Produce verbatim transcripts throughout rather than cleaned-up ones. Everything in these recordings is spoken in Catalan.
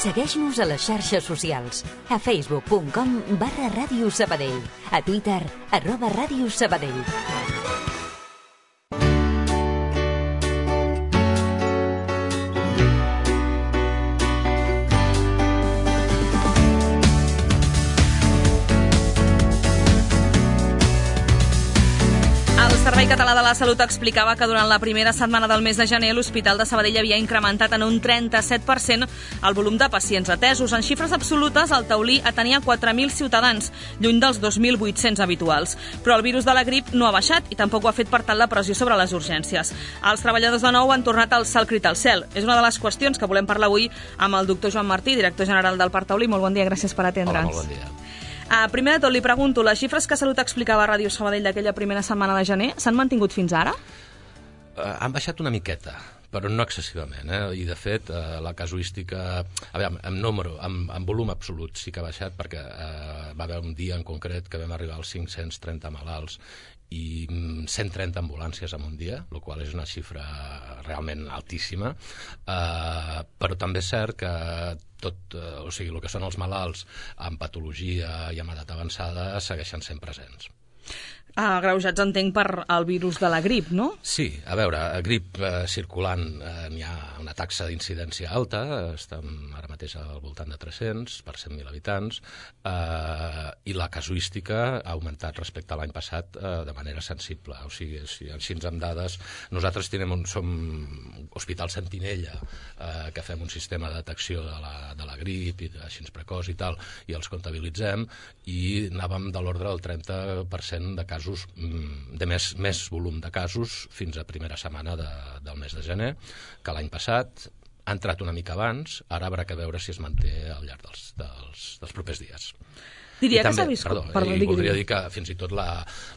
Segueix-nos a les xarxes socials. A facebook punt com barra Ràdio Sabadell. A Twitter, arroba Ràdio Sabadell. El Servei Català de la Salut explicava que durant la primera setmana del mes de gener l'Hospital de Sabadell havia incrementat en un trenta-set per cent el volum de pacients atesos. En xifres absolutes, el taulí atenia quatre mil ciutadans, lluny dels dos mil vuit-cents habituals. Però el virus de la grip no ha baixat i tampoc ho ha fet per tant la pressió sobre les urgències. Els treballadors de nou han tornat al salt crit al cel. És una de les qüestions que volem parlar avui amb el doctor Joan Martí, director general del Parc Taulí. Molt bon dia, gràcies per atendre'ns. Hola, molt bon dia. Uh, primer de tot, li pregunto, les xifres que Salut explicava a Ràdio Sabadell d'aquella primera setmana de gener s'han mantingut fins ara? Uh, han baixat una miqueta, però no excessivament, eh? I de fet uh, la casuística, a veure, en número, en, en volum absolut sí que ha baixat, perquè uh, va haver un dia en concret que vam arribar als cinc-cents trenta malalts i cent trenta ambulàncies en un dia, el qual és una xifra realment altíssima, uh, però també és cert que tot, uh, o sigui, el que són els malalts amb patologia i amb edat avançada segueixen sent presents. Agreujats, entenc, per el virus de la grip, no? Sí, a veure, a grip eh, circulant eh, n'hi ha una taxa d'incidència alta, estem ara mateix al voltant de tres-cents per cent mil habitants, eh, i la casuística ha augmentat respecte a l'any passat eh, de manera sensible. O sigui, si, així amb dades, nosaltres tenim un, som Hospital Sentinella, eh, que fem un sistema de detecció de la, de la grip i així precoç i tal, i els comptabilitzem, i anàvem de l'ordre del trenta per cent de casos de més, més volum de casos fins a primera setmana de, del mes de gener, que l'any passat ha entrat una mica abans, ara haurà que veure si es manté al llarg dels, dels, dels propers dies. Diria I que també, s'ha viscut... Perdó, Perdó, i digui, voldria digui. dir que fins i tot la,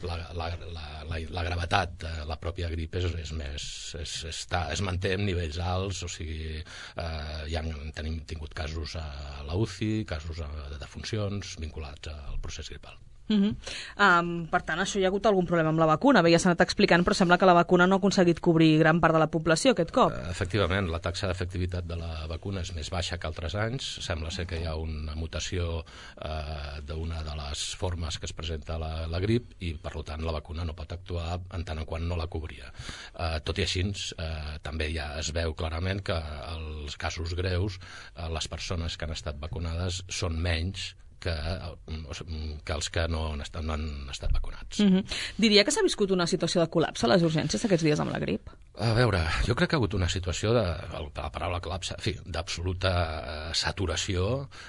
la, la, la, la, la gravetat de la pròpia grip és, és més... És, està, es manté en nivells alts, o sigui, eh, ja tenim tingut casos a la U C I, casos de defuncions vinculats al procés gripal. Uh-huh. um, per tant, això hi ha hagut algun problema amb la vacuna. Bé, ja s'ha anat explicant, però sembla que la vacuna no ha aconseguit cobrir gran part de la població aquest cop. Efectivament, la taxa d'efectivitat de la vacuna és més baixa que altres anys. Sembla ser que hi ha una mutació eh, d'una de les formes que es presenta la, la grip i, per tant, la vacuna no pot actuar en tant en quant no la cobria. Eh, tot i així, eh, també ja es veu clarament que els casos greus, eh, les persones que han estat vacunades són menys que, que els que no han estat, no han estat vacunats. Uh-huh. Diria que s'ha viscut una situació de col·lapse a les urgències aquests dies amb la grip? A veure, jo crec que ha hagut una situació de, la paraula col·lapse, en fi, d'absoluta saturació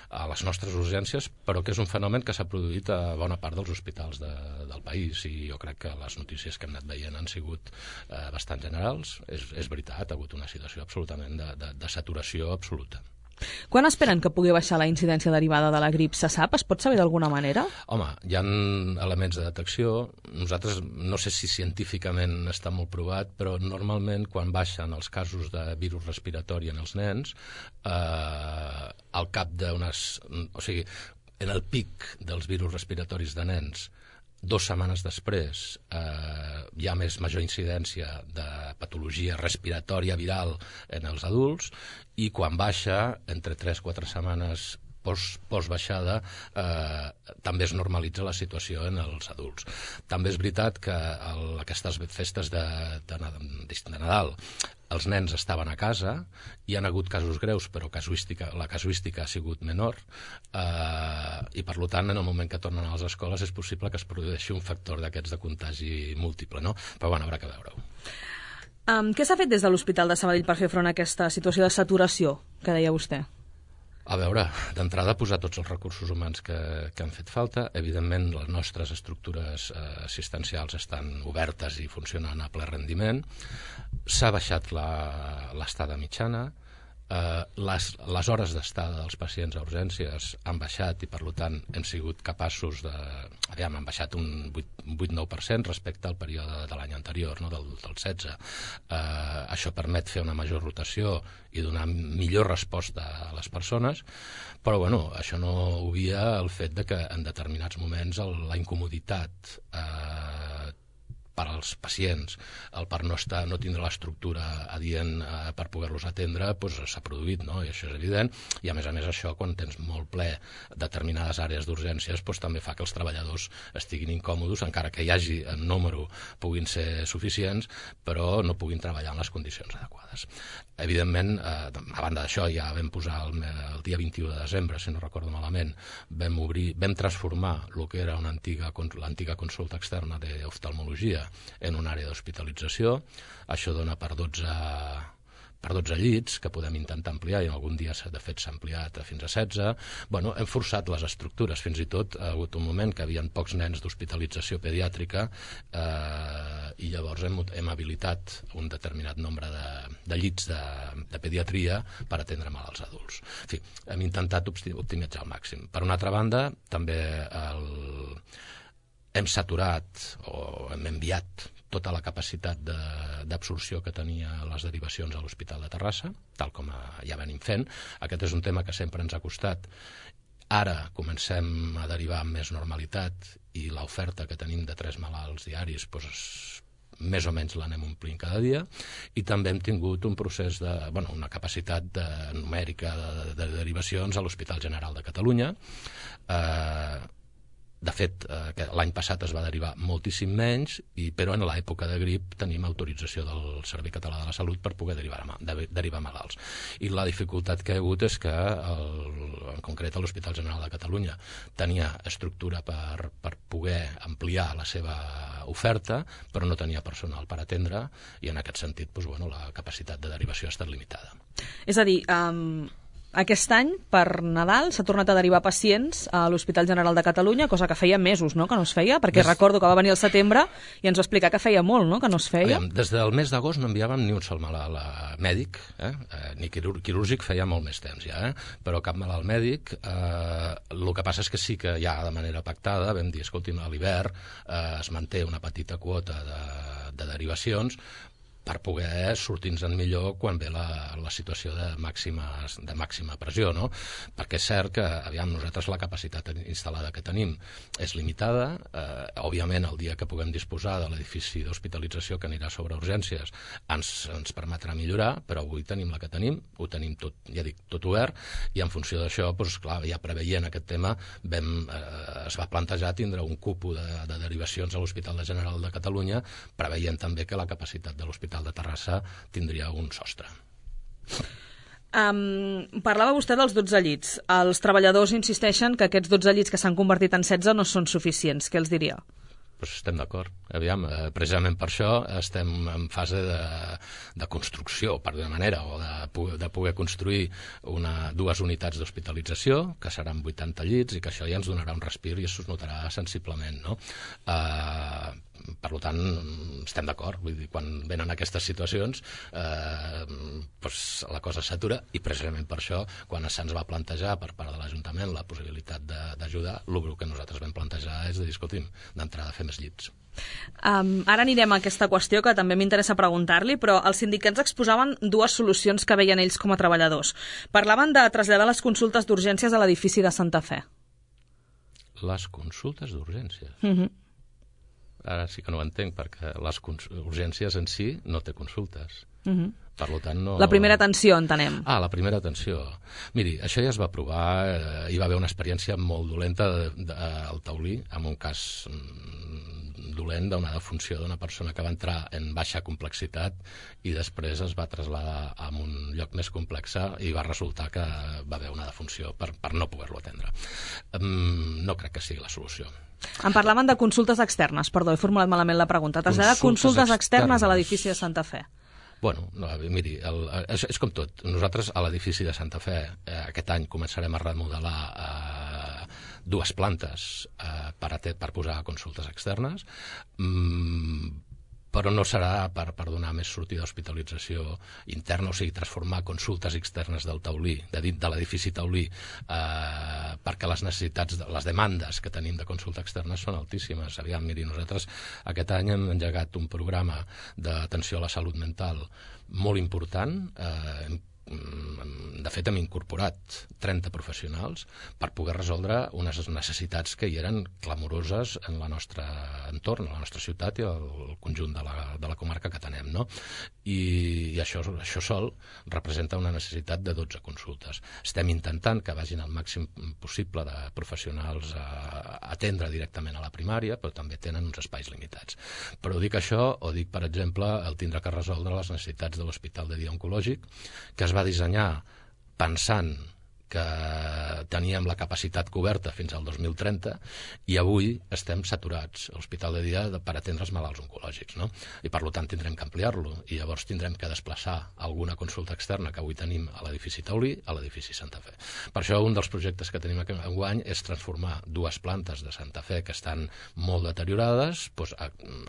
a les nostres urgències, però que és un fenomen que s'ha produït a bona part dels hospitals de, del país, i jo crec que les notícies que hem anat veient han sigut eh, bastant generals. És, és veritat, ha hagut una situació absolutament de, de, de saturació absoluta. Quan esperen que pugui baixar la incidència derivada de la grip? Se sap? Es pot saber d'alguna manera? Home, hi ha elements de detecció. Nosaltres, no sé si científicament està molt provat, però normalment quan baixen els casos de virus respiratori en els nens, eh, al cap d'unes... O sigui, en el pic dels virus respiratoris de nens, dues setmanes després eh, hi ha més major incidència de patologia respiratòria viral en els adults, i quan baixa, entre tres a quatre setmanes post, post baixada, eh, també es normalitza la situació en els adults. També és veritat que el, aquestes festes de, de, de Nadal els nens estaven a casa, hi han hagut casos greus, però casuística, la casuística ha sigut menor, eh, i per tant, en el moment que tornen a les escoles és possible que es produeixi un factor d'aquests de contagi múltiple, no? Però bueno, haurà que veure-ho. Um, què s'ha fet des de l'Hospital de Sabadell per fer front a aquesta situació de saturació que deia vostè? A veure, d'entrada posar tots els recursos humans que, que han fet falta. Evidentment, les nostres estructures eh, assistencials estan obertes i funcionen a ple rendiment. S'ha baixat l'estada mitjana. Eh, les, les hores d'estada dels pacients a urgències han baixat i, per tant, hem sigut capaços de... Aviam, han baixat un vuit nou per cent respecte al període de l'any anterior, no? del, del setze. Eh, això permet fer una major rotació i donar millor resposta a les persones, però bueno, això no obvia el fet de que en determinats moments el, la incomoditat eh, per als pacients, el per no, estar, no tindre l'estructura adient eh, per poder-los atendre, doncs s'ha produït, no? I això és evident, i a més a més això, quan tens molt ple determinades àrees d'urgències, doncs també fa que els treballadors estiguin incòmodes, encara que hi hagi en número puguin ser suficients, però no puguin treballar en les condicions adequades. Evidentment, eh, a banda d'això, ja vam posar el, el dia vint-i-u de desembre, si no recordo malament, vam obrir, vam transformar el que era una antiga, l'antiga consulta externa d'oftalmologia en una àrea d'hospitalització. Això dona per dotze, per dotze llits, que podem intentar ampliar, i algun dia de fet s'ha ampliat fins a setze. Bueno, hem forçat les estructures, fins i tot ha hagut un moment que hi havia pocs nens d'hospitalització pediàtrica eh, i llavors hem, hem habilitat un determinat nombre de, de llits de, de pediatria per atendre malalts adults. En fi, hem intentat optimitzar al màxim. Per una altra banda, també el, hem saturat o hem enviat tota la capacitat d'absorció que tenia les derivacions a l'Hospital de Terrassa, tal com ja venim fent. Aquest és un tema que sempre ens ha costat. Ara comencem a derivar amb més normalitat i l'oferta que tenim de tres malalts diaris doncs, més o menys l'anem omplint cada dia, i també hem tingut un procés de, bueno, una capacitat de, numèrica de, de derivacions a l'Hospital General de Catalunya. Eh, De fet, eh, l'any passat es va derivar moltíssim menys, i, però en l'època de grip tenim autorització del Servei Català de la Salut per poder derivar, de, derivar malalts. I la dificultat que hi ha hagut és que, el, en concret, l'Hospital General de Catalunya tenia estructura per, per poder ampliar la seva oferta, però no tenia personal per atendre, i en aquest sentit doncs, bueno, la capacitat de derivació ha estat limitada. És a dir, um... aquest any, per Nadal, s'ha tornat a derivar pacients a l'Hospital General de Catalunya, cosa que feia mesos, no?, que no es feia, perquè des... recordo que va venir al setembre i ens va explicar que feia molt, no?, que no es feia. Aviam, des del mes d'agost no enviàvem ni un sol malalt mèdic, eh? Eh, ni quirúrgic feia molt més temps ja, eh? Però cap malalt mèdic. Eh, el que passa és que sí que ja de manera pactada vam dir, escolti'm, a l'hivern eh, es manté una petita quota de, de derivacions per poder sortir-nos millor quan ve la, la situació de màxima, de màxima pressió, no? Perquè és cert que, aviam, nosaltres la capacitat instal·lada que tenim és limitada. Eh, òbviament, el dia que puguem disposar de l'edifici d'hospitalització que anirà sobre urgències ens, ens permetrà millorar, però avui tenim la que tenim, ho tenim tot, ja dic, tot obert, i en funció d'això, doncs, clar, ja preveient aquest tema, vam, eh, es va plantejar tindre un cupo de, de derivacions a l'Hospital General de Catalunya, preveient també que la capacitat de l'Hospital de Terrassa tindria un sostre. Um, parlava vostè dels dotze llits. Els treballadors insisteixen que aquests dotze llits que s'han convertit en setze no són suficients. Què els diria? Pues estem d'acord. Aviam, eh, precisament per això estem en fase de, de construcció, per d'una manera, o de, de poder construir una, dues unitats d'hospitalització, que seran vuitanta llits, i que això ja ens donarà un respir i es notarà sensiblement, no? Eh, per tant, estem d'acord. Vull dir, quan venen aquestes situacions, eh, doncs la cosa s'atura, i precisament per això, quan se'ns va plantejar per part de l'Ajuntament la possibilitat d'ajudar, el que nosaltres vam plantejar és de dir, escolti'm, d'entrada fer més llits. Um, ara anirem a aquesta qüestió que també m'interessa preguntar-li, però els sindicats exposaven dues solucions que veien ells com a treballadors. Parlaven de traslladar les consultes d'urgències a l'edifici de Santa Fe. Les consultes d'urgències? Mhm. Uh-huh. Ara sí que no ho entenc, perquè les urgències en si no té consultes. Uh-huh. Per tant, no... La primera atenció, entenem. Ah, la primera atenció. Miri, això ja es va provar, eh, hi va haver una experiència molt dolenta de, de, al Taulí, amb un cas mm, dolent d'una defunció d'una persona que va entrar en baixa complexitat i després es va traslladar a un lloc més complex i va resultar que va haver una defunció per, per no poder-lo atendre. Um, no crec que sigui la solució. Em parlaven de consultes externes, perdó, he formulat malament la pregunta. Traslladar consultes, consultes externes a l'edifici de Santa Fe. Bueno, no, miri, el, és, és com tot. Nosaltres a l'edifici de Santa Fe eh, aquest any començarem a remodelar eh, dues plantes eh, per, a, per posar consultes externes, mm, però no serà per, per donar més sortida d'hospitalització interna, o sigui, transformar consultes externes del Taulí, de, de l'edifici Taulí, eh, perquè les necessitats, les demandes que tenim de consulta externa són altíssimes. Aviam, miri, nosaltres aquest any hem engegat un programa d'atenció a la salut mental molt important, eh, de fet, hem incorporat trenta professionals per poder resoldre unes necessitats que hi eren clamoroses en el nostre entorn, en la nostra ciutat i el conjunt de la, de la comarca que tenem, no? I, i això, això sol representa una necessitat de dotze consultes. Estem intentant que vagin el màxim possible de professionals a, a atendre directament a la primària, però també tenen uns espais limitats. Però dic això, o dic, per exemple, el tindre que resoldre les necessitats de l'Hospital de Dia Oncològic, que es va dissenyar pensant que teníem la capacitat coberta fins al dos mil trenta i avui estem saturats a l'Hospital de Dia per atendre els malalts oncològics, no? I per tant tindrem que ampliar-lo i llavors tindrem que desplaçar alguna consulta externa que avui tenim a l'edifici Taulí a l'edifici Santa Fe. Per això un dels projectes que tenim enguany és transformar dues plantes de Santa Fe que estan molt deteriorades, doncs,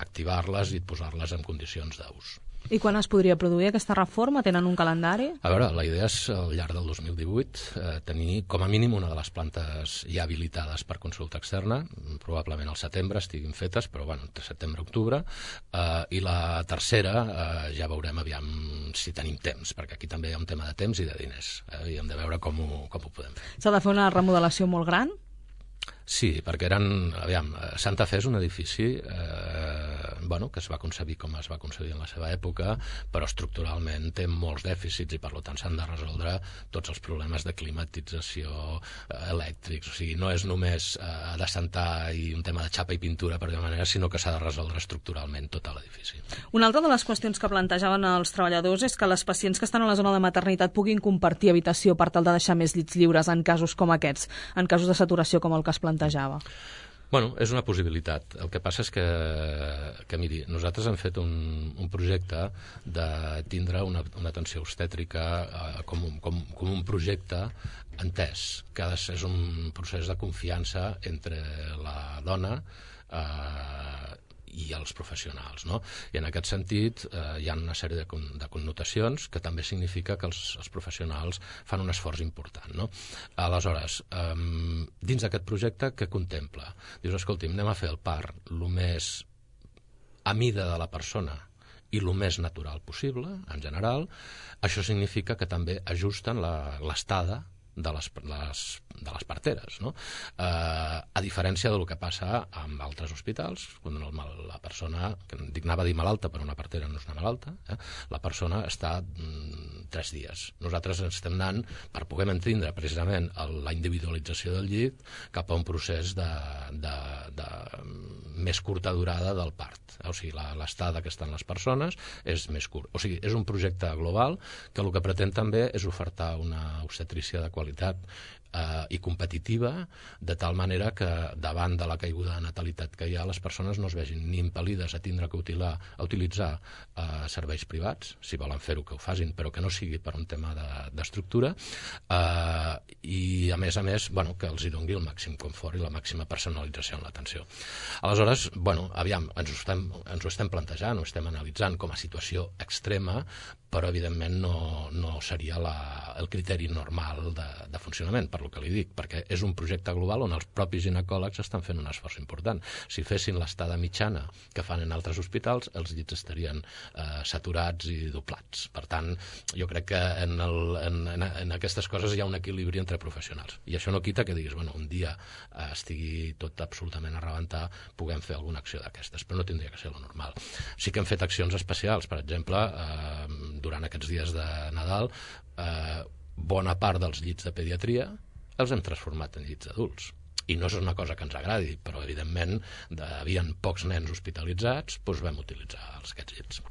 activar-les i posar-les en condicions d'ús. I quan es podria produir aquesta reforma? Tenen un calendari? A veure, la idea és al llarg del dos mil divuit eh, tenir com a mínim una de les plantes ja habilitades per consulta externa, probablement al setembre estiguin fetes, però bueno, entre setembre-octubre, eh, i la tercera eh, ja veurem aviam si tenim temps, perquè aquí també hi ha un tema de temps i de diners, eh, i hem de veure com ho, com ho podem fer. S'ha de fer una remodelació molt gran? Sí, perquè eren, aviam, Santa Fe és un edifici eh, bueno, que es va concebir com es va concedir en la seva època, però estructuralment té molts dèficits i per tant s'han de resoldre tots els problemes de climatització, eh, elèctrics, o sigui, no és només eh, adassentar i un tema de xapa i pintura per dir manera, sinó que s'ha de resoldre estructuralment tot l'edifici. Una altra de les qüestions que plantejaven els treballadors és que les pacients que estan a la zona de maternitat puguin compartir habitació per tal de deixar més llits lliures en casos com aquests, en casos de saturació com el que es plantejava. Bueno, és una possibilitat. El que passa és que, que miri, nosaltres hem fet un, un projecte de tindre una, una atenció obstètrica eh, com, un, com, com un projecte entès, que és un procés de confiança entre la dona eh, i els professionals, no? I en aquest sentit eh, hi ha una sèrie de, con de connotacions que també significa que els, els professionals fan un esforç important, no? Aleshores, eh, dins d'aquest projecte, què contempla? Dius, escolti'm, anem a fer el part el més a mida de la persona i el més natural possible, en general. Això significa que també ajusten l'estada de les, les, de les parteres, no? Eh, a diferència del que passa amb altres hospitals, quan el, la persona, que dic, anava a dir malalta, però una partera no és una malalta, eh? La persona està mm, tres dies. Nosaltres estem anant, per poder entendre precisament el, la individualització del llit, cap a un procés de, de, de més curta durada del part. O sigui, l'estada que estan les persones és més curt. O sigui, és un projecte global que el que pretén també és ofertar una obstetrícia de qualitat eh, i competitiva, de tal manera que davant de la caiguda de natalitat que hi ha, les persones no es vegin ni impel·lides a tindre que utilar, a utilitzar eh, serveis privats, si volen fer-ho que ho facin, però que no sigui per un tema d'estructura, de, eh, i a més a més, bueno, que els hi doni el màxim confort i la màxima personalització en l'atenció. Aleshores, bueno, aviam, ens ho estem, ens ho estem plantejant, ho estem analitzant com a situació extrema, però evidentment no, no seria la, el criteri normal de, de funcionament, per lo que li dic, perquè és un projecte global on els propis ginecòlegs estan fent un esforç important. Si fessin l'estada mitjana que fan en altres hospitals, els llits estarien eh, saturats i doblats. Per tant, jo crec que en, el, en, en aquestes coses hi ha un equilibri entre professionals. I això no quita que diguis, bueno, un dia eh, estigui tot absolutament a rebentar, puguem fer alguna acció d'aquestes, però no tindria que ser lo normal. Sí que hem fet accions especials, per exemple, eh, durant aquests dies de Nadal, eh, bona part dels llits de pediatria els hem transformat en llits adults. I no és una cosa que ens agradi, però evidentment hi havia pocs nens hospitalitzats, doncs vam utilitzar aquests llits.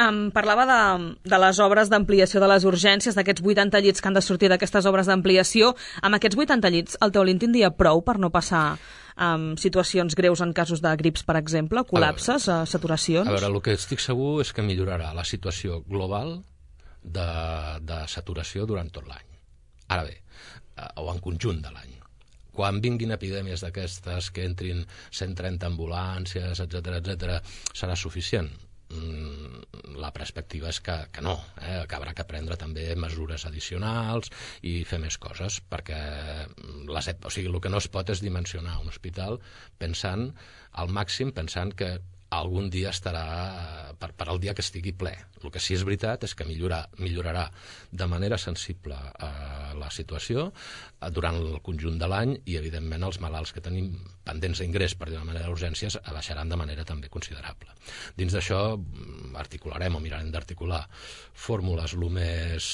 Um, parlava de, de les obres d'ampliació de les urgències, d'aquests vuitanta llits que han de sortir d'aquestes obres d'ampliació. Amb aquests vuitanta llits, el Taulí en tindria prou per no passar um, situacions greus en casos de grips, per exemple, col·lapses, a veure, saturacions? A veure, el que estic segur és que millorarà la situació global de, de saturació durant tot l'any. Ara bé, o en conjunt de l'any. Quan vinguin epidèmies d'aquestes, que entrin cent trenta ambulàncies, etcètera, etcètera, serà suficient? La perspectiva és que, que no, eh? que haurà que prendre també mesures addicionals i fer més coses, perquè les, o sigui, el que no es pot és dimensionar un hospital pensant al màxim, pensant que algun dia estarà, per, per al dia que estigui ple. El que sí és veritat és que millorar, millorarà de manera sensible eh, la situació eh, durant el conjunt de l'any i, evidentment, els malalts que tenim pendents d'ingrés per d'una manera d'urgències baixaran de manera també considerable. Dins d'això articularem o mirarem d'articular fórmules el més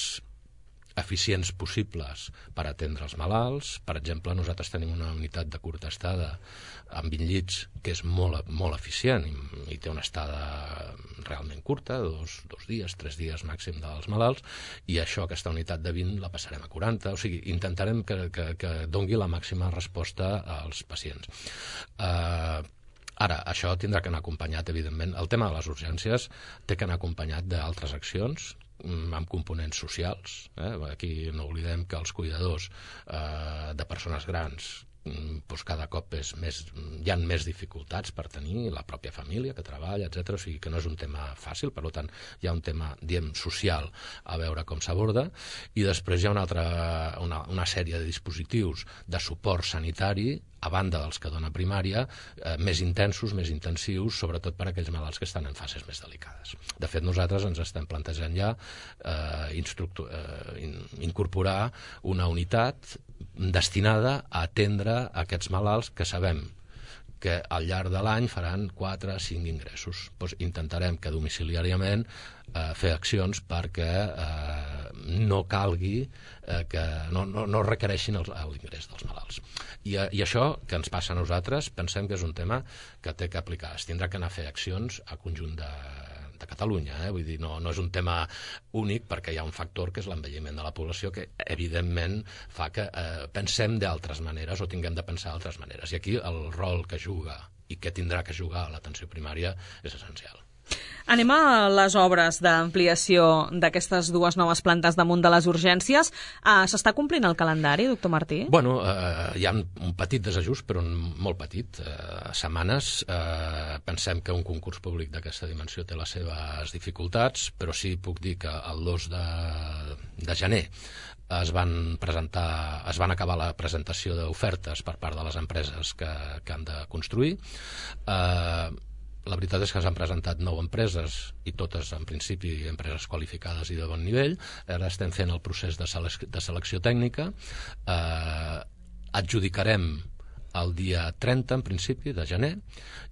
eficients possibles per atendre els malalts. Per exemple, nosaltres tenim una unitat de curta estada amb vint llits que és molt, molt eficient i, i té una estada realment curta, dos, dos dies, tres dies màxim dels malalts, i això, aquesta unitat de vint, la passarem a quaranta. O sigui, intentarem que, que, que dongui la màxima resposta als pacients. Eh... Ara, això tindrà que anar acompanyat, evidentment. El tema de les urgències té que anar acompanyat d'altres accions amb components socials. Eh? Aquí no oblidem que els cuidadors eh, de persones grans doncs cada cop és més, hi ha més dificultats per tenir la pròpia família que treballa, etcètera. O sigui que no és un tema fàcil, per tant hi ha un tema, diem, social a veure com s'aborda, i després hi ha una, altra, una, una sèrie de dispositius de suport sanitari a banda dels que dona primària, eh, més intensos, més intensius, sobretot per a aquells malalts que estan en fases més delicades. De fet, nosaltres ens estem plantejant ja eh, instructor, eh, in, incorporar una unitat destinada a atendre aquests malalts que sabem que al llarg de l'any faran quatre a cinc ingressos. Doncs intentarem que domiciliàriament eh, fer accions perquè eh, no calgui, eh, que no, no, no requereixin l'ingrés dels malalts. I, I això que ens passa a nosaltres pensem que és un tema que té que aplicar. Es tindrà que anar a fer accions a conjunt de de Catalunya, eh? Vull dir, no, no és un tema únic perquè hi ha un factor que és l'envelliment de la població que evidentment fa que eh, pensem d'altres maneres o tinguem de pensar d'altres maneres, i aquí el rol que juga i que tindrà que jugar l'atenció primària és essencial. Anem a les obres d'ampliació d'aquestes dues noves plantes damunt de les urgències. Uh, S'està complint el calendari, doctor Martí? Bueno, eh, hi ha un petit desajust, però molt petit. Eh, setmanes. Eh, pensem que un concurs públic d'aquesta dimensió té les seves dificultats, però sí puc dir que el dos de, de gener es van presentar, es van acabar la presentació d'ofertes per part de les empreses que, que han de construir. Eh, La veritat és que s'han presentat nou empreses i totes, en principi, empreses qualificades i de bon nivell. Ara estem fent el procés de, sele de selecció tècnica. Eh, adjudicarem el dia trenta, en principi, de gener,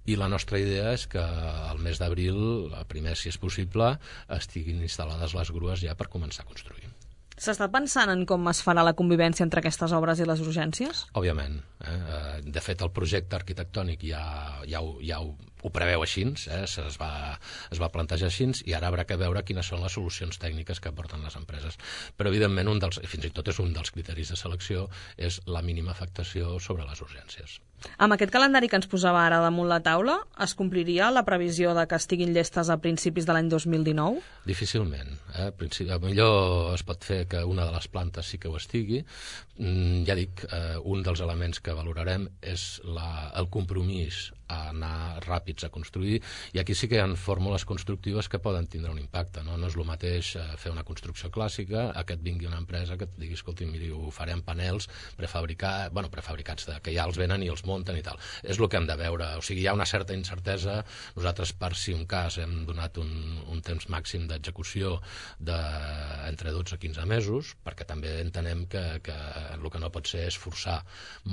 i la nostra idea és que al mes d'abril, primer, si és possible, estiguin instal·lades les grues ja per començar a construir. S'està pensant en com es farà la convivència entre aquestes obres i les urgències? Òbviament. Eh? De fet, el projecte arquitectònic ja, ja, ho, ja ho, ho preveu així, eh? es, va, es va plantejar així, i ara haurà que veure quines són les solucions tècniques que aporten les empreses. Però, evidentment, un dels, fins i tot és un dels criteris de selecció, és la mínima afectació sobre les urgències. Amb aquest calendari que ens posava ara damunt la taula, es compliria la previsió de que estiguin llestes a principis de l'any dos mil dinou? Difícilment. Eh? Millor es pot fer que una de les plantes sí que ho estigui. Mm, ja dic, eh, un dels elements que valorarem és la, el compromís a anar ràpids a construir, i aquí sí que hi ha fórmules constructives que poden tindre un impacte. No, no és el mateix eh, fer una construcció clàssica a que et vingui una empresa que et digui, escolti, miri, ho farem panels prefabricats, bueno, prefabricats de, que ja els venen i els munten i tal. És el que hem de veure. O sigui, hi ha una certa incertesa. Nosaltres, per si un cas, hem donat un, un temps màxim d'execució de entre dotze a quinze mesos, perquè també entenem que, que el que no pot ser és forçar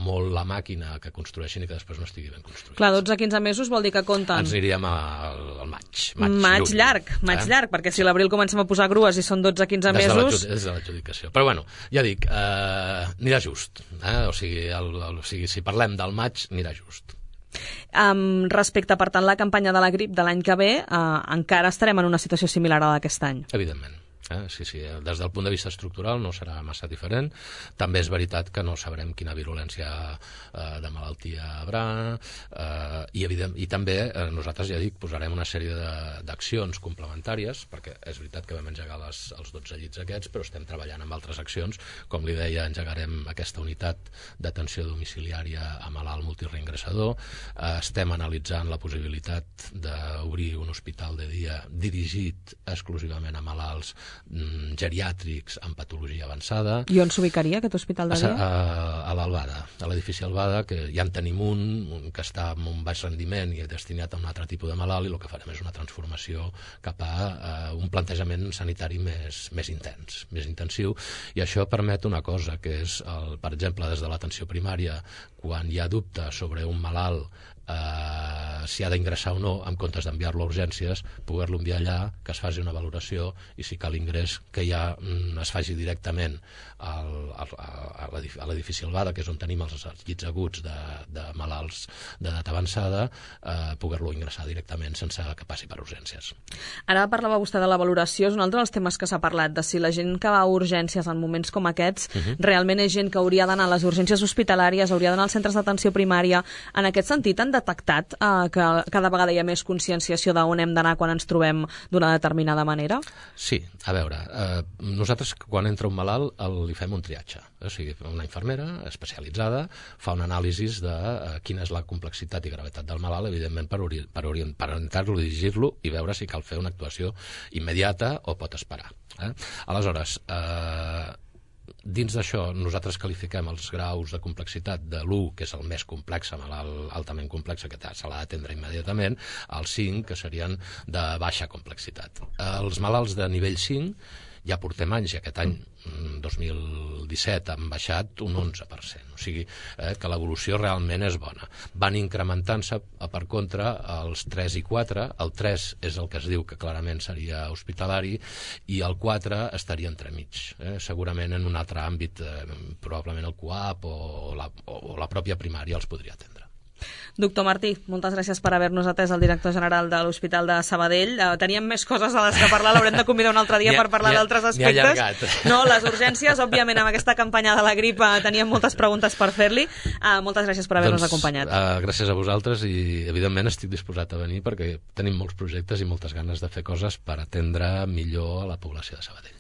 molt la màquina que construeixin i que després no estigui ben construït. Clar, dotze a quinze mesos vol dir que compten... Ens aniríem al, al maig. Maig, maig lluny, llarg, maig eh? llarg, perquè si l'abril comencem a posar grues i són dotze a quinze mesos... Des de l'adjudicació. Però bueno, ja dic, eh, anirà just. Eh? O sigui, el, el, o sigui, si parlem del maig, anirà just. Um, respecte, per tant, la campanya de la grip de l'any que ve, uh, encara estarem en una situació similar a d'aquest any? Evidentment. Eh? Sí, sí, des del punt de vista estructural no serà massa diferent. També és veritat que no sabrem quina virulència eh, de malaltia hi haurà, eh, i, evident, i també eh, nosaltres, ja dic, posarem una sèrie d'accions complementàries, perquè és veritat que vam engegar les, els dotze llits aquests, però estem treballant amb altres accions. Com li deia, engegarem aquesta unitat d'atenció domiciliària a malalt multireingrassador. Eh, estem analitzant la possibilitat d'obrir un hospital de dia dirigit exclusivament a malalts mm, geriàtrics amb patologia avançada. I on s'ubicaria aquest hospital de dia? A, a, a l'Albada, a l'edifici Albada, que ja en tenim un, un que està amb un baix rendiment i destinat a un altre tipus de malalt, i el que farem és una transformació cap a, a un plantejament sanitari més, més intens, més intensiu, i això permet una cosa, que és, el, per exemple, des de l'atenció primària, quan hi ha dubte sobre un malalt eh, si ha d'ingressar o no, en comptes d'enviar-lo a urgències, poder-lo enviar allà, que es faci una valoració, i si cal ingrés, que ja mm, es faci directament al, al, a l'edifici Albada, que és on tenim els llits aguts de, de malalts d'edat avançada, eh, poder-lo ingressar directament sense que passi per urgències. Ara parlava vostè de la valoració, és un altre dels temes que s'ha parlat, de si la gent que va a urgències en moments com aquests, uh-huh. realment és gent que hauria d'anar a les urgències hospitalàries, hauria d'anar als centres d'atenció primària. En aquest sentit, han detectat eh, que cada vegada hi ha més conscienciació d'on hem d'anar quan ens trobem d'una determinada manera? Sí, a veure, eh, nosaltres quan entra un malalt el, li fem un triatge, o sigui, una infermera especialitzada fa un anàlisi de eh, quina és la complexitat i gravetat del malalt, evidentment per, ori per, orient per orientar-lo, dirigir-lo i veure si cal fer una actuació immediata o pot esperar. Eh? Aleshores, eh, dins d'això, nosaltres qualifiquem els graus de complexitat de l'u, que és el més complex, malalt altament complex, que se l'ha d'atendre immediatament, al cinc, que serien de baixa complexitat. Els malalts de nivell cinc ja portem anys, i aquest any, dos mil disset, han baixat un onze per cent. O sigui eh, que l'evolució realment és bona. Van incrementant-se, per contra, els tres i quatre. El tres és el que es diu que clarament seria hospitalari, i el quatre estaria entremig. Eh? Segurament en un altre àmbit, eh, probablement el CUAP o la, o la pròpia primària els podria atendre. Doctor Martí, moltes gràcies per haver-nos atès, el director general de l'Hospital de Sabadell. Uh, teníem més coses a les que parlar, l'haurem de convidar un altre dia per parlar d'altres aspectes. No, les urgències, òbviament, amb aquesta campanya de la grip teníem moltes preguntes per fer-li. Uh, moltes gràcies per haver-nos doncs, acompanyat. Uh, gràcies a vosaltres, i evidentment estic disposat a venir perquè tenim molts projectes i moltes ganes de fer coses per atendre millor a la població de Sabadell.